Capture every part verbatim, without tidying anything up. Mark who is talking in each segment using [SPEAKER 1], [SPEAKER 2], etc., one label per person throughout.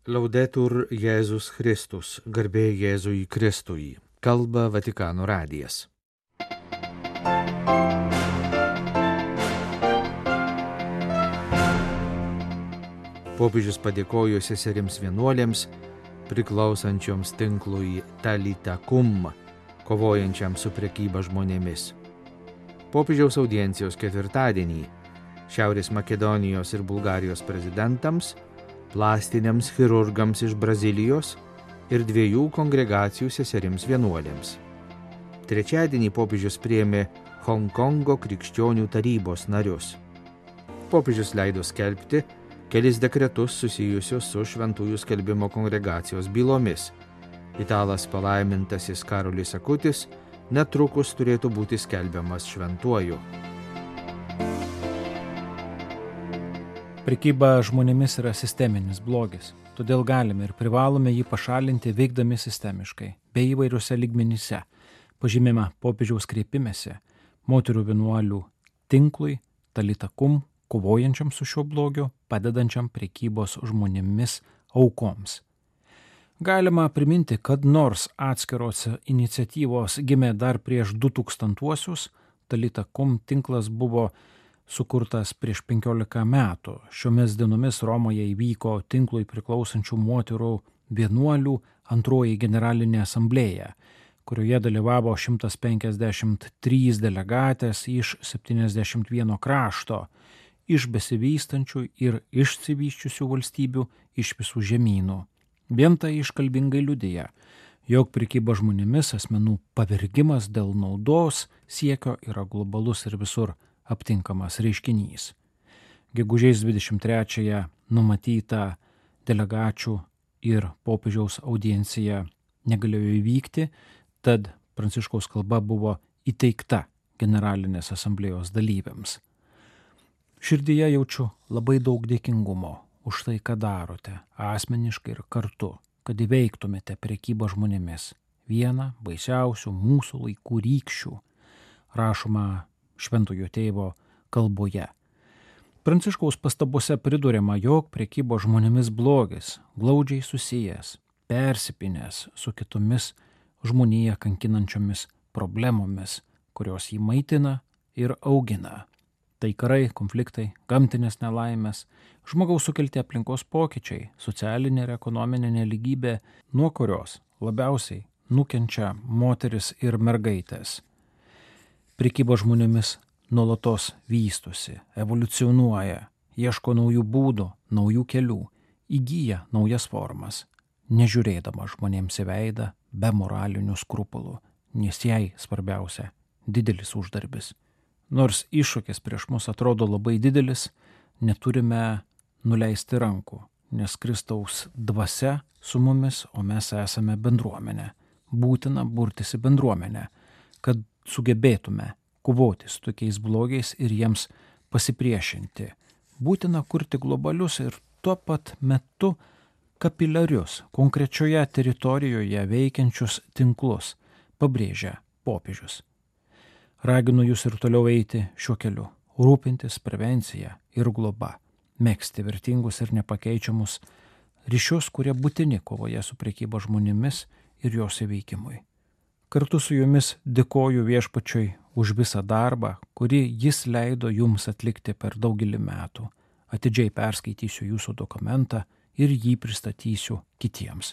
[SPEAKER 1] Laudetur Jėzus Kristus, garbė Jėzui Kristui, kalba Vatikano radijas. Popiežius padėkojo seserims vienuolėms, priklausančioms tinklui Talita Kum, kovojančiam su prekyba žmonėmis. Popiežiaus audiencijos ketvirtadienį Šiaurės Makedonijos ir Bulgarijos prezidentams, plastiniams chirurgams iš Brazilijos ir dviejų kongregacijų seserims vienuolėms. Trečiadienį popiežius priėmė Honkongo krikščionių tarybos narius. Popiežius leido skelbti kelis dekretus susijusius su šventųjų skelbimo kongregacijos bylomis. Italas palaimintasis Karolis Akutis netrukus turėtų būti skelbiamas šventuoju.
[SPEAKER 2] Prekyba žmonėmis yra sisteminis blogis, todėl galime ir privalome jį pašalinti veikdami sistemiškai, bei įvairiuose lygmenyse, pažymima popiežiaus kreipimėse, moterų vienuolių tinklui, Talita Kum, kovojančiam su šiuo blogiu, padedančiam prekybos žmonėmis aukoms. Galima priminti, kad nors atskiros iniciatyvos gimė dar prieš du tūkstantuosius, Talita Kum tinklas buvo sukurtas prieš penkiolika metų. Šiomis dienomis Romoje įvyko tinklui priklausančių moterų vienuolių antroji generalinė asamblėja, kurioje dalyvavo šimtas penkiasdešimt trys delegatės iš septyniasdešimt vieno krašto, iš besivystančių ir išsivysčiusių valstybių iš visų žemynų. Vien tai iškalbingai liudija, jog prekyba žmonėmis asmenų pavergimas dėl naudos siekio yra globalus ir visur aptinkamas reiškinys. Gegužės dvidešimt trečiąją numatyta delegačių ir popiežiaus audiencija negalėjo įvykti, tad Pranciškaus kalba buvo įteikta generalinės asamblėjos dalyviams. Širdyje jaučiu labai daug dėkingumo už tai, ką darote, asmeniškai ir kartu, kad įveiktumėte prekybą žmonėmis, vieną baisiausių mūsų laikų rykščių, rašoma Šventojo tėvo kalboje. Pranciškaus pastabose priduriama, jog prekybo žmonėmis blogis glaudžiai susijęs, persipinęs su kitomis žmoniją kankinančiomis problemomis, kurios jį maitina ir augina. Tai karai, konfliktai, gamtinės nelaimės, žmogaus sukelti aplinkos pokyčiai, socialinė ir ekonominė nelygybė, nuo kurios labiausiai nukenčia moteris ir mergaitės. Prekyba žmonėmis nuolatos vystosi, evoliucionuoja, ieško naujų būdų, naujų kelių, įgyja naujas formas, nežiūrėdama žmonėms į veidą be moralinių skrupulų, nes jai svarbiausia didelis uždarbis. Nors iššūkis prieš mus atrodo labai didelis, neturime nuleisti rankų, nes Kristaus dvasia su mumis, o mes esame bendruomenė. Būtina burtis į bendruomenę, kad sugebėtume kovoti su tokiais blogiais ir jiems pasipriešinti. Būtina kurti globalius ir tuo pat metu kapiliarius, konkrečioje teritorijoje veikiančius tinklus, pabrėžia popiežius. Raginu jūs ir toliau eiti šiuo keliu, rūpintis prevencija ir globa, megzti vertingus ir nepakeičiamus ryšius, kurie būtini kovoje su prekyba žmonėmis ir jos įveikimui. Kartu su jumis dėkoju Viešpačiui už visą darbą, kurį jis leido jums atlikti per daugelį metų. Atidžiai perskaitysiu jūsų dokumentą ir jį pristatysiu kitiems,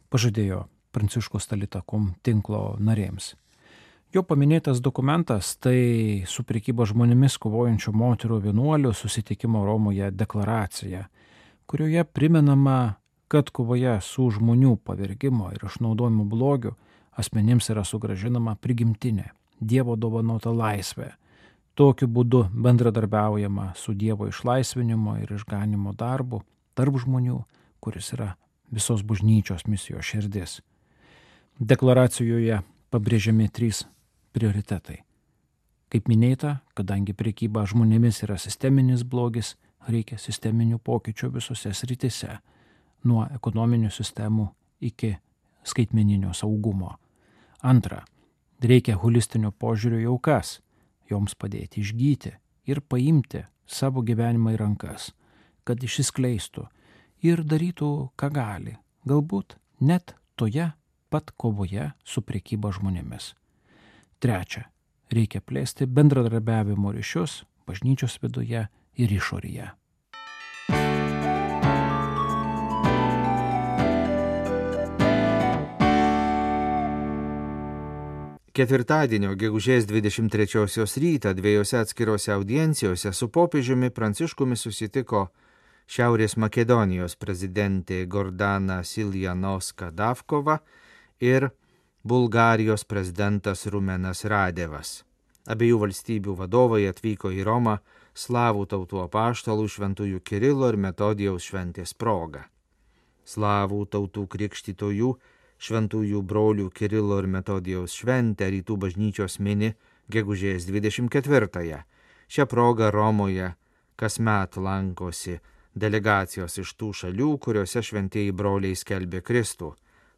[SPEAKER 2] pažadėjo Pranciškus Talita Kum tinklo narėms. Jo paminėtas dokumentas tai su prekyba žmonėmis kovojančių moterų vienuolių susitikimo Romoje deklaracija, kurioje primenama, kad kovoje su žmonių pavergimo ir išnaudojimo blogiu asmenims yra sugrąžinama prigimtinė, Dievo dovanota laisvė. Tokiu būdu bendradarbiaujama su Dievo išlaisvinimo ir išganimo darbu tarp žmonių, kuris yra visos bažnyčios misijos širdis. Deklaracijoje pabrėžiami trys prioritetai. Kaip minėta, kadangi prekyba žmonėmis yra sisteminis blogis, reikia sisteminių pokyčių visose srityse, nuo ekonominių sistemų iki skaitmeninio saugumo. Antra, reikia holistinio požiūrio į aukas, joms padėti išgyti ir paimti savo gyvenimą į rankas, kad išsiskleistų ir darytų, ką gali, galbūt net toje pat kovoje su prekyba žmonėmis. Trečia, reikia plėsti bendradarbiavimo ryšius bažnyčios viduje ir išorėje.
[SPEAKER 1] Ketvirtadienio gegužės dvidešimt trečiosios rytą dviejose atskirose audiencijose su popiežiumi Pranciškumi susitiko Šiaurės Makedonijos prezidentė Gordana Siljanovska-Davkova ir Bulgarijos prezidentas Rumenas Radevas. Abiejų valstybių vadovai atvyko į Romą slavų tautų apaštalų šventųjų Kirilo ir Metodijaus šventės proga. Slavų tautų krikštytojų šventųjų brolių Kirilo ir Metodijaus šventę rytų bažnyčios mini gegužės dvidešimt ketvirtąją. Šią progą Romoje kasmet lankosi delegacijos iš tų šalių, kuriuose šventieji broliai skelbė Kristų.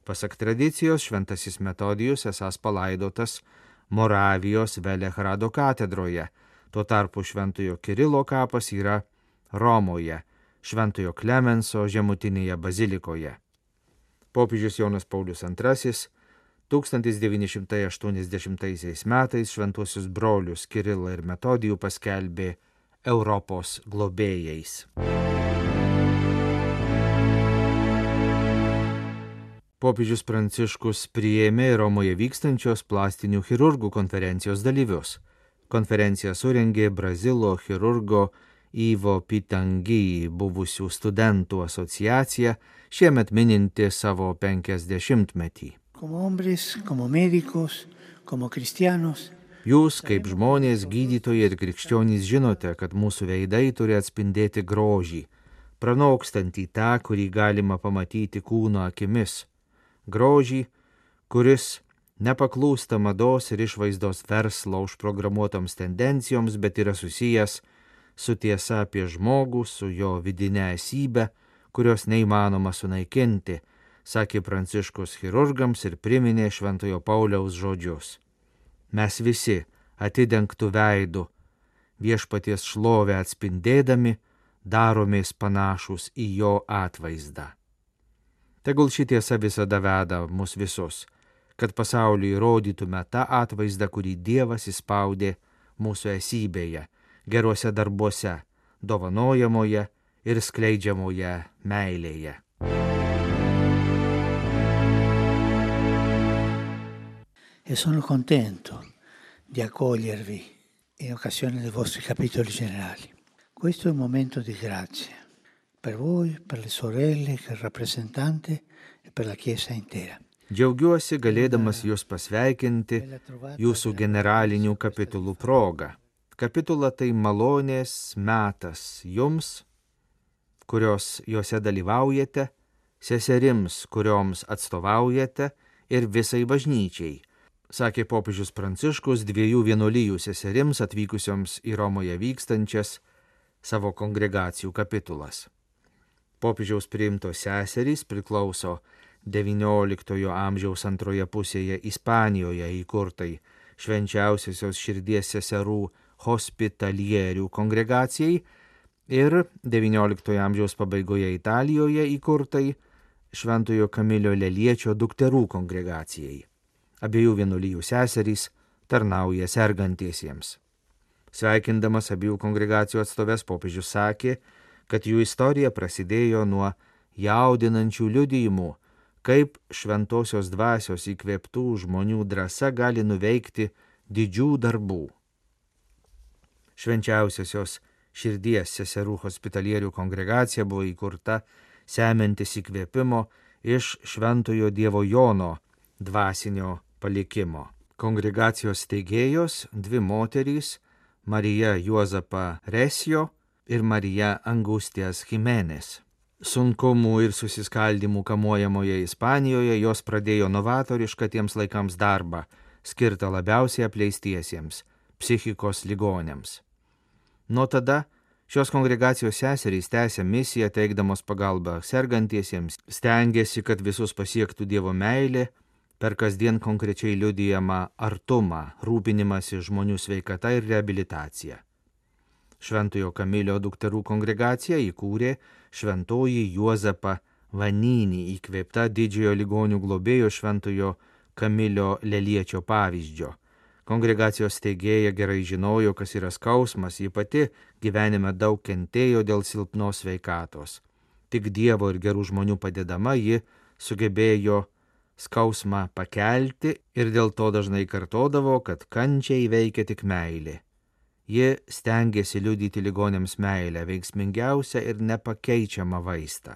[SPEAKER 1] Pasak tradicijos, šventasis Metodijus esąs palaidotas Moravijos Velehrado katedroje. Tuo tarpu šventojo Kirilo kapas yra Romoje, šventojo Klemenso žemutinėje bazilikoje. Popiežius Jonas Paulius antrasis tūkstantis devyni šimtai aštuoniasdešimtaisiais metais šventuosius brolius Kirilą ir Metodijų paskelbė Europos globėjais. Popiežius Pranciškus priėmė Romoje vykstančios plastinių chirurgų konferencijos dalyvius. Konferenciją surengė Brazilo chirurgo Ivo Pitangi buvusių studentų asociacija, šiemet mininti savo penkiasdešimtmetį.
[SPEAKER 3] Como hombres, como médicos, como cristianos.
[SPEAKER 1] Jūs, kaip žmonės, gydytojai ir krikščionys, žinote, kad mūsų veidai turi atspindėti grožį, pranokstantį tą, kurį galima pamatyti kūno akimis. Grožį, kuris nepaklūsta mados ir išvaizdos verslo užprogramuotoms tendencijoms, bet yra susijęs su tiesa apie žmogų, su jo vidinė esybė, kurios neįmanoma sunaikinti, sakė Pranciškus chirurgams ir priminė Šventojo Pauliaus žodžius. Mes visi atidengtų veidų, viešpaties šlovę atspindėdami, daromės panašus į jo atvaizdą. Tegul ši tiesa visada veda mus visus, kad pasauliui rodytume tą atvaizdą, kurį Dievas įspaudė mūsų esybėje, geruose darbuose, dovanojamoje ir skleidžiamoje meilėje.
[SPEAKER 3] E sono contento di accogliervi in occasione dei vostri capitoli generali. Questo è un momento di grazia per voi, per le sorelle che rappresentate e per la Chiesa intera.
[SPEAKER 1] Džiaugiuosi galėdamas jūs pasveikinti jūsų generalinių kapitulų proga. Kapitula tai malonės metas jums, kurios juose dalyvaujate, seserims, kurioms atstovaujate ir visai bažnyčiai, sakė popiežius Pranciškus dviejų vienuolijų seserims atvykusioms į Romoje vykstančias savo kongregacijų kapitulas. Popiežiaus priimtos seserys priklauso devynioliktojo amžiaus antroje pusėje Ispanijoje įkurtai švenčiausiosios širdies seserų hospitalierių kongregacijai ir devynioliktojo amžiaus pabaigoje Italijoje įkurtai Šventojo Kamilio Leliečio dukterų kongregacijai. Abiejų vienuolijų seserys tarnauja sergantiesiems. Sveikindamas abiejų kongregacijų atstoves, popiežius sakė, kad jų istorija prasidėjo nuo jaudinančių liudijimų, kaip šventosios dvasios įkvėptų žmonių drąsa gali nuveikti didžių darbų. Švenčiausiosios širdies seserų hospitalierių kongregacija buvo įkurta semiantis įkvėpimo iš Šventojo Dievo Jono dvasinio palikimo. Kongregacijos steigėjos dvi moterys, Marija Juozapa Resio ir Marija Angustijas Jimenez. Sunkumų ir susiskaldimų kamuojamoje Ispanijoje jos pradėjo novatorišką tiems laikams darbą, skirtą labiausiai apleistiesiems, psichikos ligonėms. Nuo tada šios kongregacijos seserys tęsė misiją, teikdamos pagalbą sergantiesiems, stengėsi, kad visus pasiektų Dievo meilė, per kasdien konkrečiai liudijamą artumą, rūpinimąsi žmonių sveikata ir reabilitacija. Šventojo Kamilio dukterų kongregaciją įkūrė šventoji Juozapa Vanynį, įkvėpta didžiojo ligonių globėjo šventojo Kamilio Leliečio pavyzdžio. Kongregacijos steigėja gerai žinojo, kas yra skausmas, ji pati gyvenime daug kentėjo dėl silpnos sveikatos. Tik Dievo ir gerų žmonių padedama ji sugebėjo skausmą pakelti ir dėl to dažnai kartodavo, kad kančią įveikia tik meilė. Ji stengėsi liudyti ligoniams meilę, veiksmingiausią ir nepakeičiamą vaistą.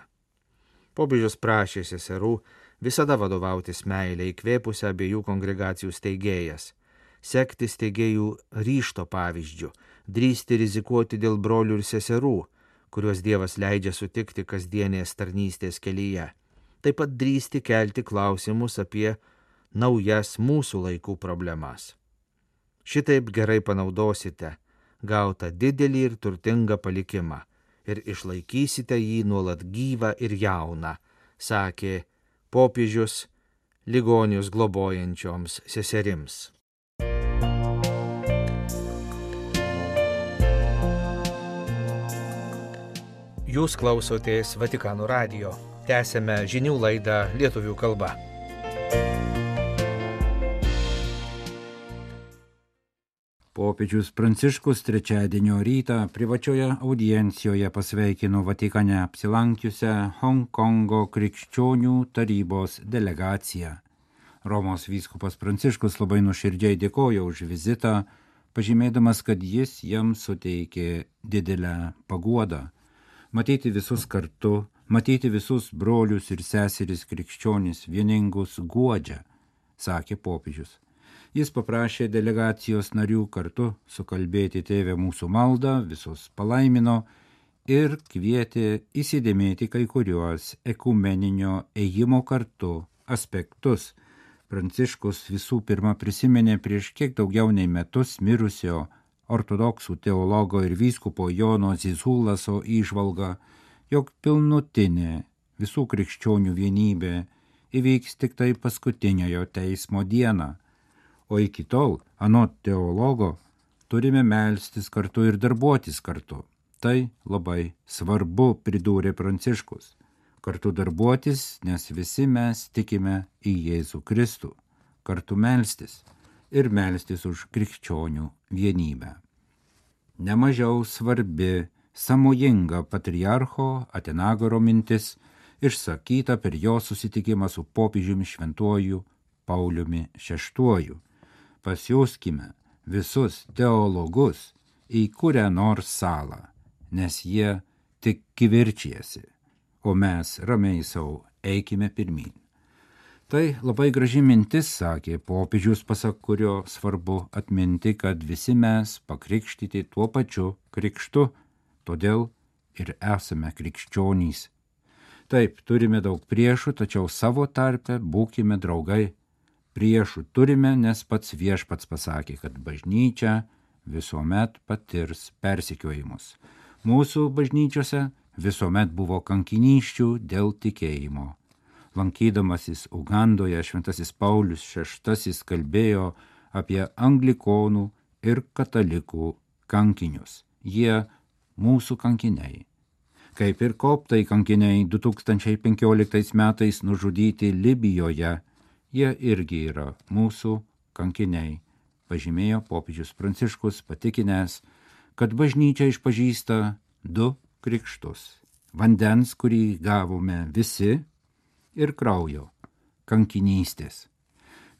[SPEAKER 1] Popiežius prašė seserų visada vadovautis meilę, įkvėpusią abiejų kongregacijų steigėjas, sekti steigėjų ryžto pavyzdžių, drįsti rizikuoti dėl brolių ir seserų, kuriuos Dievas leidžia sutikti kasdienės tarnystės kelyje. Taip pat drįsti kelti klausimus apie naujas mūsų laikų problemas. Šitaip gerai panaudosite gautą didelį ir turtingą palikimą ir išlaikysite jį nuolat gyvą ir jauną, sakė popiežius ligonius globojančioms seserims. Jūs klausotės Vatikano radijo. Tęsėme žinių laidą lietuvių kalba.
[SPEAKER 4] Popiežius Pranciškus trečiadienio rytą privačioje audiencijoje pasveikino Vatikane apsilankiusią Honkongo krikščionių tarybos delegaciją. Romos vyskupas Pranciškus labai nuoširdžiai dėkojo už vizitą, pažymėdamas, kad jis jam suteikė didelę paguodą. Matyti visus kartu, matyti visus brolius ir seseris krikščionis vieningus guodžia, sakė popiežius. Jis paprašė delegacijos narių kartu sukalbėti Tėve mūsų maldą, visus palaimino ir kvietė įsidėmėti kai kuriuos ekumeninio ėjimo kartu aspektus. Pranciškus visų pirma prisiminė prieš kiek daugiau nei metus mirusio ortodoksų teologo ir vyskupo Jono Zizulaso įžvalgą, jog pilnutinė visų krikščionių vienybė įvyks tik tai paskutiniojo teismo dieną. O iki tol, anot teologo, turime melstis kartu ir darbuotis kartu. Tai labai svarbu, pridūrė Pranciškus. Kartu darbuotis, nes visi mes tikime į Jėzų Kristų. Kartu melstis ir melstis už krikščionių vienybę. Nemažiau svarbi, sąmojinga patriarcho Atenagoro mintis, išsakyta per jo susitikimą su popiežiumi šventuoju Pauliumi šeštuoju. Pasiųskime visus teologus į kurią nors salą, nes jie tik kivirčijasi, o mes ramiai savo eikime pirmyn. Tai labai graži mintis, sakė popiežius, pasak kurio svarbu atminti, kad visi mes pakrikštyti tuo pačiu krikštu, todėl ir esame krikščionys. Taip, turime daug priešų, tačiau savo tarpe būkime draugai. Priešų turime, nes pats viešpats pasakė, kad bažnyčia visuomet patirs persekiojimus. Mūsų bažnyčiose visuomet buvo kankinysčių dėl tikėjimo. Lankydamasis Ugandoje, šventasis Paulius šeštasis kalbėjo apie anglikonų ir katalikų kankinius. Jie mūsų kankiniai. Kaip ir koptai kankiniai du tūkstančiai penkioliktais metais nužudyti Libijoje, jie irgi yra mūsų kankiniai, pažymėjo popiežius Pranciškus, patikinęs, kad bažnyčia išpažįsta du krikštus – vandens, kurį gavome visi, ir kraujo – kankinystės.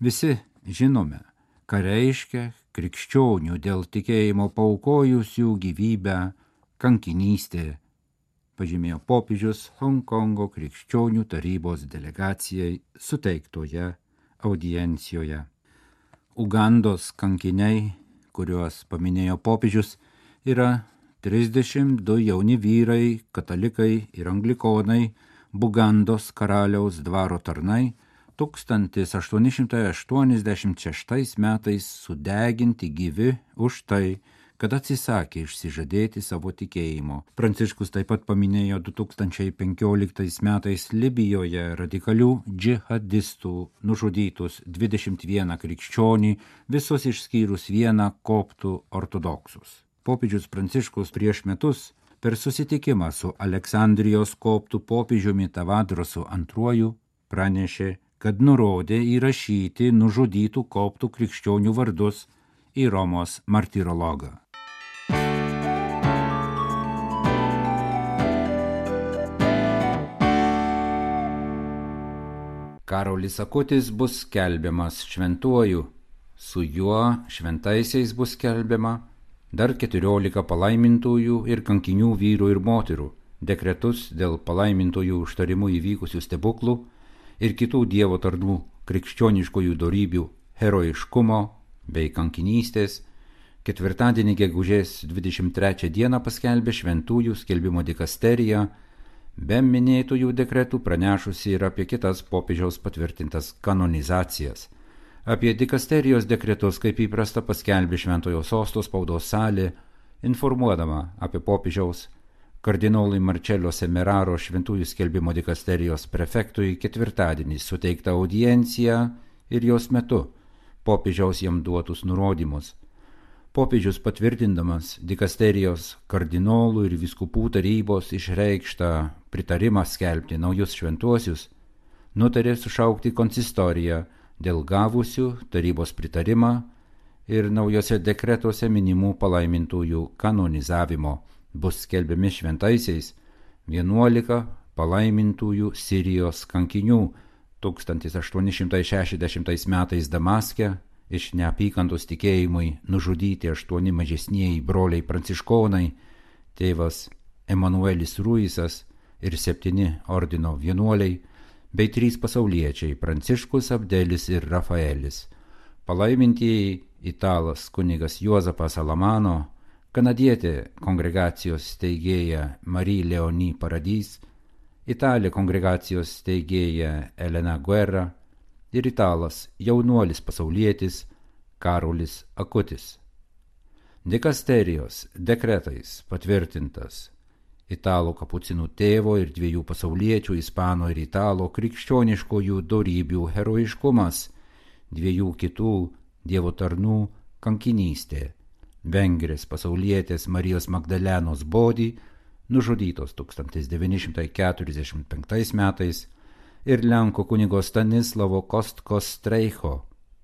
[SPEAKER 4] Visi žinome, ką reiškia krikščionių dėl tikėjimo paukojusių gyvybę kankinystė, pažymėjo popiežius Honkongo krikščionių tarybos delegacijai suteiktoje audiencijoje. Ugandos kankiniai, kuriuos paminėjo popiežius, yra trisdešimt du jauni vyrai, katalikai ir anglikonai, Bugandos karaliaus dvaro tarnai, tūkstantis aštuoni šimtai aštuoniasdešimt šeštais metais sudeginti gyvi už tai, kad atsisakė išsižadėti savo tikėjimo. Pranciškus taip pat paminėjo du tūkstančiai penkioliktais metais Libijoje radikalių džihadistų nužudytus dvidešimt vieną krikščionį, visus išskyrus vieną koptų ortodoksus. Popiežius Pranciškus prieš metus per susitikimą su Aleksandrijos koptų popiežiumi Tavadrosu antruoju pranešė, kad nurodė įrašyti nužudytų koptų krikščionių vardus į Romos martyrologą. Karolis Akutis bus skelbiamas šventuoju, su juo šventaisiais bus skelbiama dar keturiolika palaimintųjų ir kankinių vyrų ir moterų, dekretus dėl palaimintųjų užtarimų įvykusių stebuklų ir kitų Dievo tarnų krikščioniškųjų dorybių, herojiškumo bei kankinystės, ketvirtadienį gegužės dvidešimt trečią dieną paskelbė šventųjų skelbimo dikasterija, be minėtųjų dekretų pranešusi ir apie kitas popiežiaus patvirtintas kanonizacijas. Apie dikasterijos dekretus, kaip įprasta, paskelbė Šventojo Sosto spaudos salė, informuodama apie popiežiaus kardinolui Marcello Semeraro šventųjų skelbimo dikasterijos prefektui ketvirtadienį suteiktą audienciją ir jos metu popiežiaus jam duotus nurodymus. Popiežius patvirtindamas dikasterijos kardinolų ir vyskupų tarybos išreikštą pritarimą skelbti naujus šventuosius, nutarė sušaukti konsistoriją dėl gavusių tarybos pritarimą ir naujose dekretuose minimų palaimintųjų kanonizavimo. Bus skelbiami šventaisiais vienuolika palaimintųjų Sirijos kankinių tūkstantis aštuoni šimtai šešiasdešimtais metais Damaske iš neapykantos tikėjimui nužudyti aštuoni mažesnieji broliai pranciškonai, tėvas Emanuelis Ruisas ir septyni ordino vienuoliai, bei trys pasauliečiai Pranciškus, Abdelis ir Rafaelis. Palaimintieji italas kunigas Juozapas Alamano, kanadietė kongregacijos steigėja Marie Leonie Paradis, italė kongregacijos steigėja Elena Guerra ir italas jaunuolis pasaulietis Karolis Akutis. Dikasterijos dekretais patvirtintas italų kapucinų tėvo ir dviejų pasauliečių ispano ir italo krikščioniškojų dorybių herojiškumas, dviejų kitų Dievo tarnų kankinystė, vengrės pasaulietės Marijos Magdalenos Bodį, nužudytos tūkstantis devyni šimtai keturiasdešimt penktais metais, ir Lenkų kunigo Stanislavo Kostkos Streicho,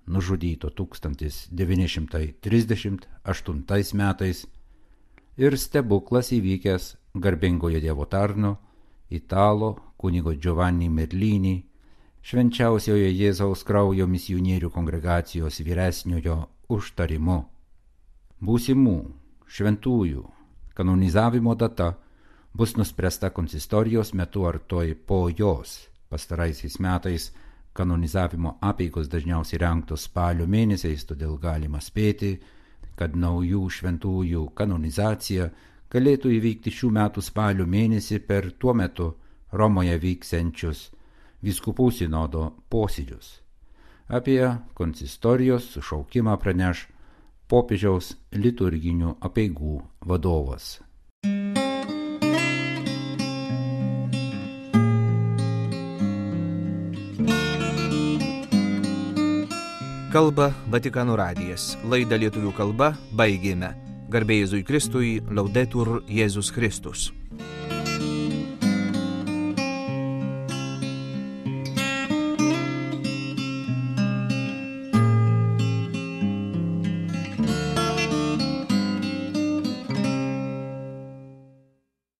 [SPEAKER 4] nužudyto tūkstantis devyni šimtai trisdešimt aštuntais metais, ir stebuklas įvykęs garbingojo Dievo tarno, italo kunigo Giovanni Merlini, švenčiausiojo Jėzaus kraujo misionierių kongregacijos vyresniojo užtarimu. Būsimų šventųjų kanonizavimo data bus nuspręsta konsistorijos metu ar toj po jos. Pastaraisiais metais kanonizavimo apeigos dažniausiai rengtos spalio mėnesiais, todėl galima spėti, kad naujų šventųjų kanonizacija galėtų įvykti šių metų spalio mėnesį per tuo metu Romoje vyksiančius vyskupų sinodo posėdžius. Apie konsistorijos sušaukimą praneš popiežiaus liturginių apeigų vadovas.
[SPEAKER 1] Kalba Vatikano radijas. Laidą lietuvių kalba baigėme. Garbė Jėzui Kristui, Laudetur Jėzus Kristus.